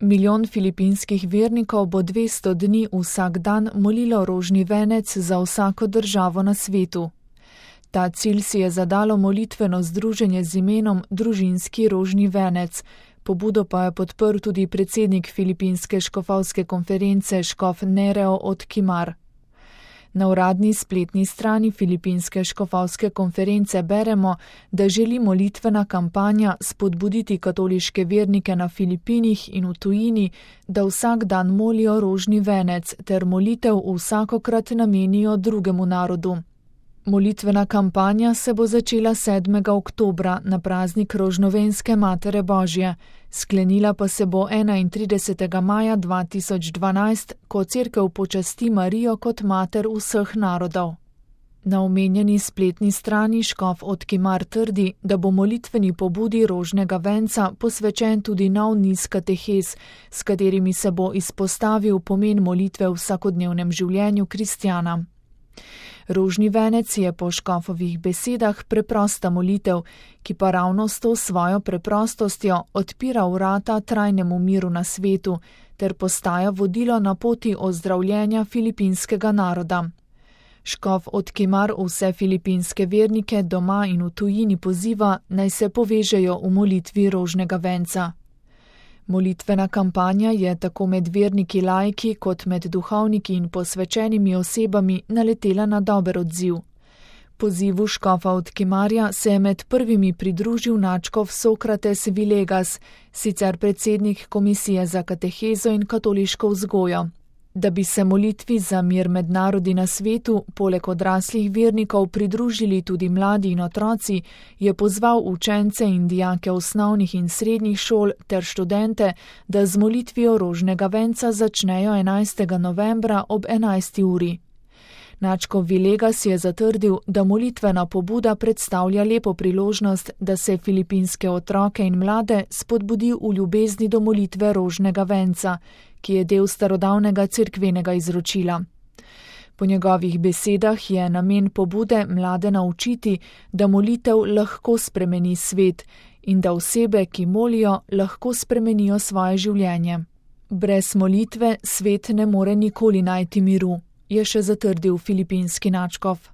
Milijon filipinskih vernikov bo 200 dni vsak dan molilo rožni venec za vsako državo na svetu. Ta cilj si je zadalo molitveno združenje z imenom Družinski rožni venec. Pobudo pa je podprl tudi predsednik Filipinske škofovske konference škof Nereo Otkimar. Na uradni spletni strani Filipinske škofovske konference beremo, da želi molitvena kampanja spodbuditi katoliške vernike na Filipinih in v tujini, da vsak dan molijo rožni venec ter molitev vsakokrat namenijo drugemu narodu. Molitvena kampanja se bo začela 7. oktobra na praznik Rožnovenske Matere Božje, sklenila pa se bo 31. maja 2012, ko cerkev počasti Marijo kot mater vseh narodov. Na omenjeni spletni strani škof Otkimar trdi, da bo molitveni pobudi rožnega venca posvečen tudi nov niz katehez, s katerimi se bo izpostavil pomen molitve v vsakodnevnem življenju kristjana. Rožni venec je po škofovih besedah preprosta molitev, ki pa ravno s to svojo preprostostjo odpira vrata trajnemu miru na svetu ter postaja vodilo na poti ozdravljenja filipinskega naroda. Škof Otkimar vse filipinske vernike doma in v tujini poziva, naj se povežejo v molitvi rožnega venca. Molitvena kampanja je tako med verniki laiki kot med duhovniki in posvečenimi osebami naletela na dober odziv. Pozivu škofa Otkimarja se je med prvimi pridružil nadškof Sokrates Vilegas, sicer predsednik Komisije za katehezo in katoliško vzgojo. Da bi se molitvi za mir med narodi na svetu, poleg odraslih vernikov pridružili tudi mladi in otroci, je pozval učence in dijake osnovnih in srednjih šol ter študente, da z molitvijo rožnega venca začnejo 11. novembra ob 11. uri. Nadškof Vilegas je zatrdil, da molitvena pobuda predstavlja lepo priložnost, da se filipinske otroke in mlade spodbudi v ljubezni do molitve rožnega venca, ki je del starodavnega cerkvenega izročila. Po njegovih besedah je namen pobude mlade naučiti, da molitev lahko spremeni svet in da osebe, ki molijo, lahko spremenijo svoje življenje. Brez molitve svet ne more nikoli najti miru, je še zatrdil filipinski nadškof.